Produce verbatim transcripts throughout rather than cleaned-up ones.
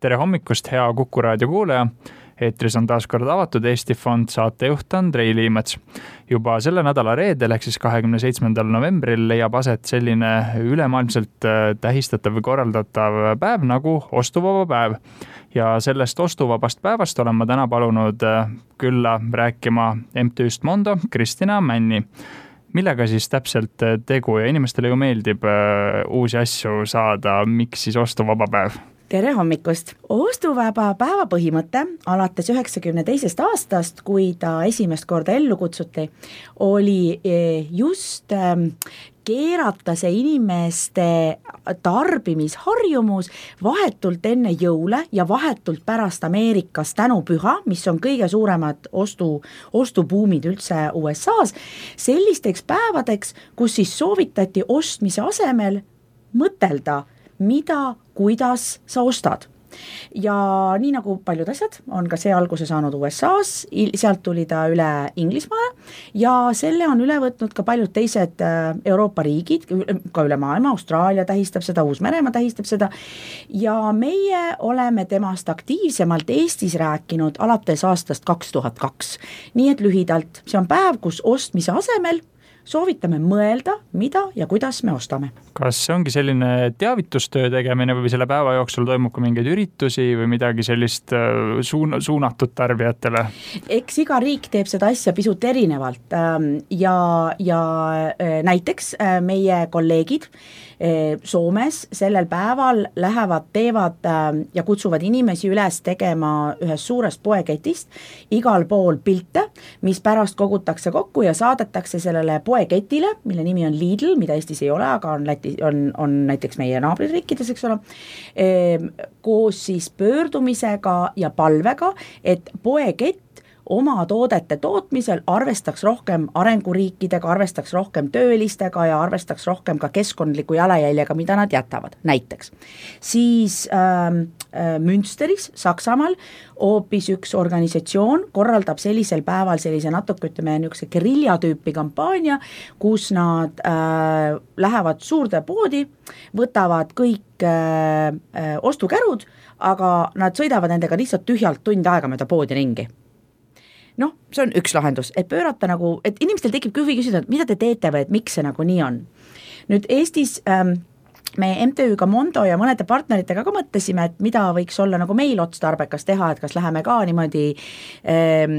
tere hommikust, hea Kuku raadio kuulaja. Eetris on taas kord avatud Eesti Fond, saatejuht Andrei Liimets. Juba selle nädala reedel ehk siis kahekümne seitsmendal novembril leiab aset selline ülemaailmselt tähistatav või korraldatav päev nagu ostuvaba päev. Ja sellest ostuvabast päevast olen ma täna palunud külla rääkima M T Üst Mondo Kristina Männi. Millega siis täpselt tegu ja inimestele ju meeldib uusi asju saada, miks siis ostuvaba päev? Tere hommikust! Ostuvaba päeva põhimõte alates üheksakümne teisest aastast, kui ta esimest korda ellu kutsuti, oli just keerata see inimeste tarbimisharjumus vahetult enne jõule ja vahetult pärast Ameerikas tänupüha, mis on kõige suuremad ostu, ostubuumid üldse U S A-s, sellisteks päevadeks, kus siis soovitati ostmise asemel mõtelda, mida, kuidas sa ostad. Ja nii nagu paljud asjad on ka see alguse saanud U S A-s, sealt tuli ta üle Inglismaale ja selle on üle võtnud ka paljud teised Euroopa riigid, ka üle maailma, Austraalia tähistab seda, Uus-Meremaa tähistab seda ja meie oleme temast aktiivsemalt Eestis rääkinud alates aastast kaks tuhat kaks. Nii et lühidalt, see on päev, kus ostmise asemel soovitame mõelda, mida ja kuidas me ostame. Kas see ongi selline teavitustöö tegemine või selle päeva jooksul toimub ka mingeid üritusi või midagi sellist suun- suunatud tarbijatele? Eks iga riik teeb seda asja pisut erinevalt ja, ja näiteks meie kolleegid Soomes sellel päeval lähevad, teevad ja kutsuvad inimesi üles tegema ühest suurest poeketist igal pool pilte, mis pärast kogutakse kokku ja saadetakse sellele poeketile, mille nimi on Lidl, mida Eestis ei ole, aga on, Läti, on, on näiteks meie naabririikides, eks ole, koos siis pöördumisega ja palvega, et poekett oma toodete tootmisel arvestaks rohkem arenguriikidega, arvestaks rohkem töölistega ja arvestaks rohkem ka keskkondliku jalajäljega, mida nad jätavad. Näiteks siis ähm, Münsteris, Saksamaal, hoopis üks organisatsioon korraldab sellisel päeval sellise natuke, ütleme, niisuguse guerilla tüüpi kampaania, kus nad äh, lähevad suurde poodi, võtavad kõik äh, äh, ostukärud, aga nad sõidavad nendega lihtsalt tühjalt tund aega mööda poodi ringi. Noh, see on üks lahendus, et pöörata nagu, et inimestel tekib huvi küsida, mida te teete või et miks see nagu nii on. Nüüd Eestis ähm, me M T Üga Mondo ja mõnede partneritega ka mõtlesime, et mida võiks olla nagu meil otstarbekas teha, et kas läheme ka niimoodi ähm,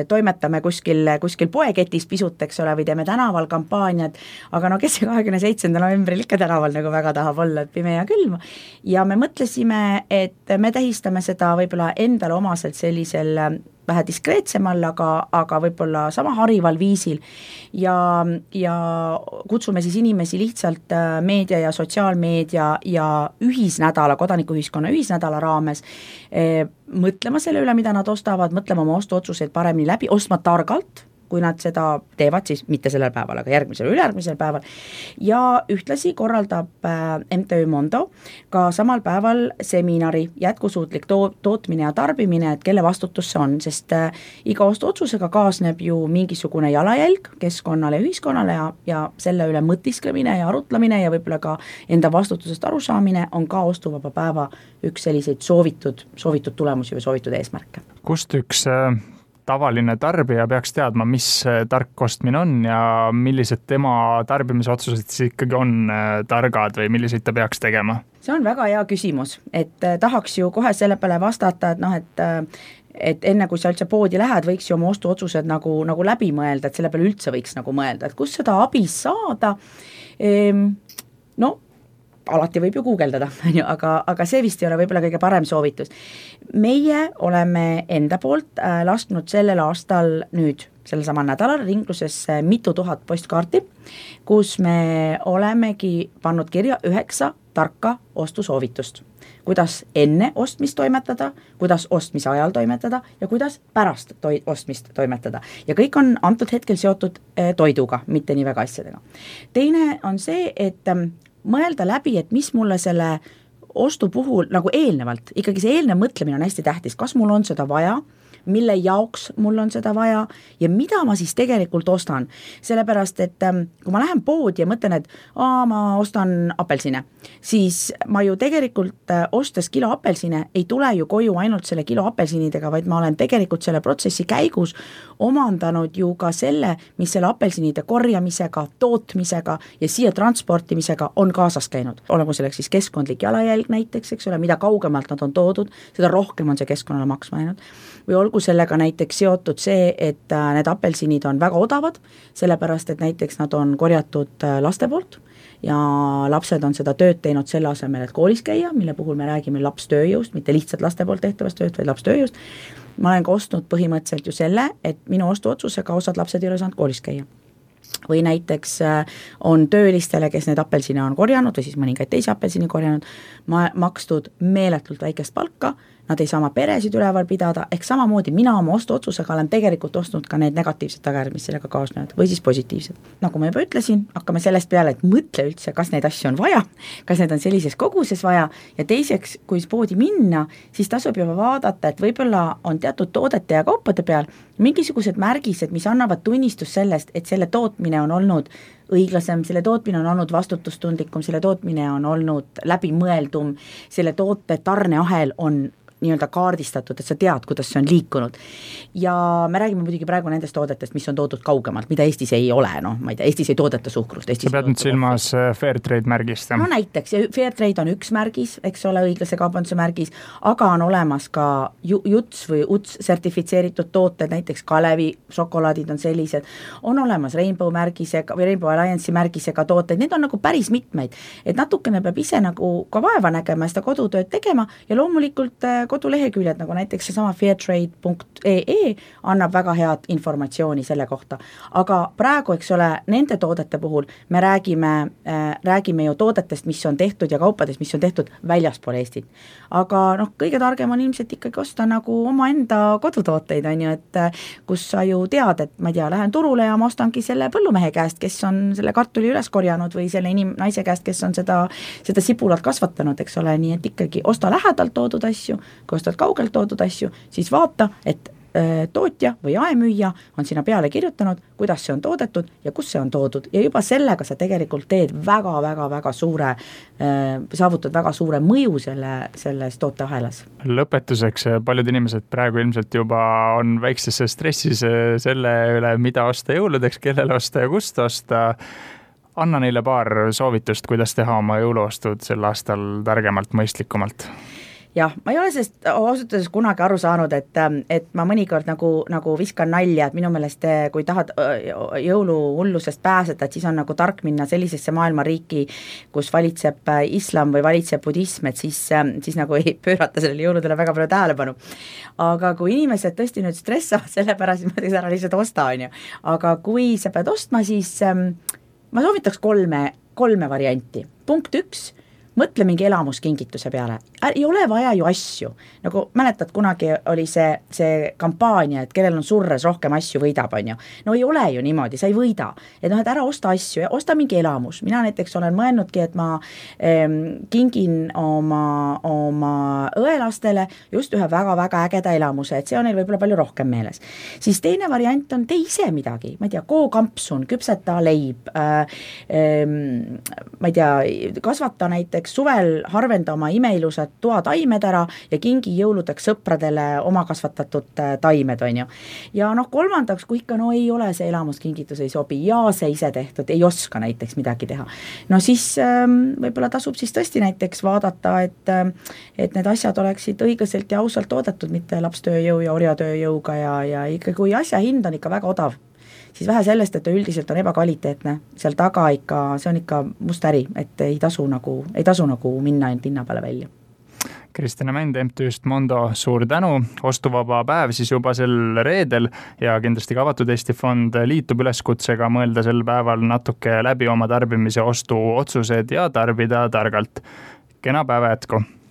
toimetame kuskil, kuskil poeketis pisut, eks ole, või teeme tänaval kampaaniad, aga no kes see kahekümne seitsmendal novembril ikka tänaval nagu väga tahab olla, et pime ja külm. Ja me mõtlesime, et me tähistame seda võib-olla endale omaselt sellisel vähe diskreetsemal, aga, aga võib-olla sama harival viisil ja, ja kutsume siis inimesi lihtsalt meedia ja sotsiaalmeedia ja ühisnädala, kodanikuühiskonna ühisnädala raames eh, mõtlema selle üle, mida nad ostavad, mõtlema oma ostuotsuseid paremini läbi, ostma targalt, kui nad seda teevad, siis mitte sellel päeval, aga järgmisel, ülejärgmisel päeval ja ühtlasi korraldab M T Ü Mondo ka samal päeval seminari jätkusuutlik to- tootmine ja tarbimine, et kelle vastutus see on, sest iga ostuotsusega kaasneb ju mingisugune jalajälg keskkonnale ja ühiskonnale ja, ja selle üle mõtisklemine ja arutlemine ja võib-olla ka enda vastutusest arusaamine on ka ostuvaba päeva üks selliseid soovitud, soovitud tulemusi või soovitud eesmärke. Kust üks tavaline tarbija peaks teadma, mis tark ostmine on ja millised tema tarbimisotsused siis ikkagi on targad või milliseid ta peaks tegema? See on väga hea küsimus, et tahaks ju kohe selle peale vastata, et noh, et, et enne kui sa üldse poodi lähed, võiks ju oma ostuotsused nagu, nagu läbi mõelda, et selle peale üldse võiks nagu mõelda, et kus seda abi saada, ehm, no alati võib ju guugeldada, aga, aga see vist ei ole võib-olla kõige parem soovitus. Meie oleme enda poolt äh, lasknud sellel aastal nüüd, sellel samal nädalal ringlusesse mitu tuhat postkaarti, kus me olemegi pannud kirja üheksa tarka ostusoovitust. Kuidas enne ostmist toimetada, kuidas ostmise ajal toimetada ja kuidas pärast toi- ostmist toimetada. Ja kõik on antud hetkel seotud äh, toiduga, mitte nii väga asjadega. Teine on see, et äh, mõelda läbi, et mis mulle selle ostu puhul nagu eelnevalt, ikkagi see eelnev mõtlemine on hästi tähtis, kas mul on seda vaja mille jaoks mul on seda vaja ja mida ma siis tegelikult ostan. Sellepärast, et kui ma lähen poodi ja mõtlen, et aa, ma ostan apelsine, siis ma ju tegelikult ostes kilo apelsine ei tule ju koju ainult selle kilo apelsinidega, vaid ma olen tegelikult selle protsessi käigus omandanud ju ka selle, mis selle apelsinide korjamisega, tootmisega ja siia transportimisega on kaasas käinud. Olegu selleks siis keskkondlik jalajälg näiteks, eks ole, mida kaugemalt nad on toodud, seda rohkem on see keskkonnale maksma jäänud. Või olgu sellega näiteks seotud see, et need apelsinid on väga odavad, sellepärast, et näiteks nad on korjatud laste poolt ja lapsed on seda tööd teinud selle asemel, et koolis käia, mille puhul me räägime lapstööjõust, mitte lihtsalt laste poolt tehtavast tööd, vaid lapstööjõust. Ma olen ka ostnud põhimõtteliselt ju selle, et minu ostuotsusega osad lapsed ei ole saanud koolis käia. Või näiteks on töölistele, kes need apelsine on korjanud või siis mõningaid teisi apelsini korjanud, ma makstud meeletult väikest palka, nad ei saa oma peresid üleval pidada, ehk samamoodi mina oma ostuotsusega olen tegelikult ostnud ka need negatiivsed tagajärjed, mis sellega kaasnevad, või siis positiivsed. Nagu ma juba ütlesin, hakkame sellest peale, et mõtle üldse, kas neid asju on vaja, kas need on sellises koguses vaja ja teiseks, kui poodi minna, siis tasub juba vaadata, et võib-olla on teatud toodete ja kaupade peal mingisugused märgised, mis annavad tunnistus sellest, et selle tootmine on olnud õiglasem, selle tootmine on olnud vastutustundlikum, selle tootmine on olnud läbimõeldum, selle toote tarneahel on nii-öelda kaardistatud, et sa tead, kuidas see on liikunud. Ja me räägime muidugi praegu nendest toodetest, mis on toodud kaugemalt, mida Eestis ei ole, noh, ma ei tea, Eestis ei toodeta suhkrust. Sa pead nüüd silmas Fairtrade märgist. No näiteks, Fairtrade on üks märgis, eks ole, õiglase kaubanduse märgis, aga on olemas ka juts või uts sertifitseeritud tooted, näiteks Kalevi šokolaadid on sellised, on olemas Rainbow märgisega või Rainbow Alliance'i märgisega tooteid, need on nagu päris mitmeid, et natukene peab ise nagu ka vaeva nägema ja seda kodutööd tegema ja loomulikult koduleheküljed, nagu näiteks seesama fairtrade punkt ee ee annab väga head informatsiooni selle kohta. Aga praegu, eks ole, nende toodete puhul me räägime, äh, räägime ju toodetest, mis on tehtud ja kaupadest, mis on tehtud väljaspool Eestit. Aga noh, kõige targem on ilmselt ikkagi osta nagu oma enda kodutooteid, on ju, et kus sa ju tead, et ma ei tea, lähen turule ja ma ostangi selle põllumehe käest, kes on selle kartuli üles korjanud või selle inim- naise käest, kes on seda, seda sibulat kasvatanud, eks ole, nii et ikkagi osta lähedalt toodud asju, kui ostad kaugelt toodud asju, siis vaata, et äh, tootja või jaemüüja on sinna peale kirjutanud, kuidas see on toodetud ja kus see on toodud ja juba sellega sa tegelikult teed väga-väga-väga suure äh,, saavutad väga suure mõju selle, selles tooteahelas. Lõpetuseks, paljud inimesed praegu ilmselt juba on väikses stressis selle üle, mida osta jõuludeks, kellele osta ja kust osta. Anna neile paar soovitust, kuidas teha oma jõuluostud sel aastal targemalt, mõistlikumalt. Jah, ma ei ole sellest ausutades kunagi aru saanud, et, et ma mõnikord nagu, nagu viskan nalja, et minu meelest, kui tahad jõuluhullusest pääseda, et siis on nagu tark minna sellisesse maailmariiki, kus valitseb islam või valitseb budism, et siis, siis nagu ei pöörata sellele jõuludele väga palju tähelepanu. Aga kui inimesed tõesti nüüd stressavad selle pärast, siis ma teeks ära lihtsalt osta, on ju. Aga kui sa pead ostma, siis ma soovitaks kolme, kolme varianti. Punkt üks, mõtle mingi elamuskingituse peale. Ei ole vaja ju asju. Nagu mäletad, kunagi oli see, see kampaania, et kellel on surres rohkem asju võidab, on ju. No ei ole ju niimoodi, sa ei võida. Et noh, et ära osta asju ja osta mingi elamus. Mina näiteks olen mõelnudki, et ma ähm, kingin oma, oma õelastele just ühe väga-väga ägeda elamuse, et see on neil võib-olla palju rohkem meeles. Siis teine variant on tee ise midagi. Ma ei tea, koo kampsun, küpseta leib, äh, ähm, ma ei tea, kasvata näiteks suvel harvenda oma imeilusad toataimed ära ja kingi jõuludeks sõpradele oma kasvatatud taimed, on ju. Ja noh, kolmandaks, kui ikka no ei ole see elamuskingitus ei sobi ja see ise tehtud, ei oska näiteks midagi teha. No siis ähm, võib-olla tasub siis tõesti näiteks vaadata, et, et need asjad oleksid õiglaselt ja ausalt toodetud, mitte lapstööjõu ja orjatööjõuga ja, ja ikka kui asja hind on ikka väga odav, siis vähe sellest, et üldiselt on ebakvaliteetne, seal taga ikka, see on ikka must äri, et ei tasu nagu, ei tasu nagu minna ainult hinna peale välja. Kristjana Mänd M T-st Mondo, suur tänu, ostuvaba päev siis juba sel reedel ja kindlasti ka Avatud Eesti Fond liitub üleskutsega mõelda sel päeval natuke läbi oma tarbimise ostu otsused ja tarbida targalt. Kena päeva jätku!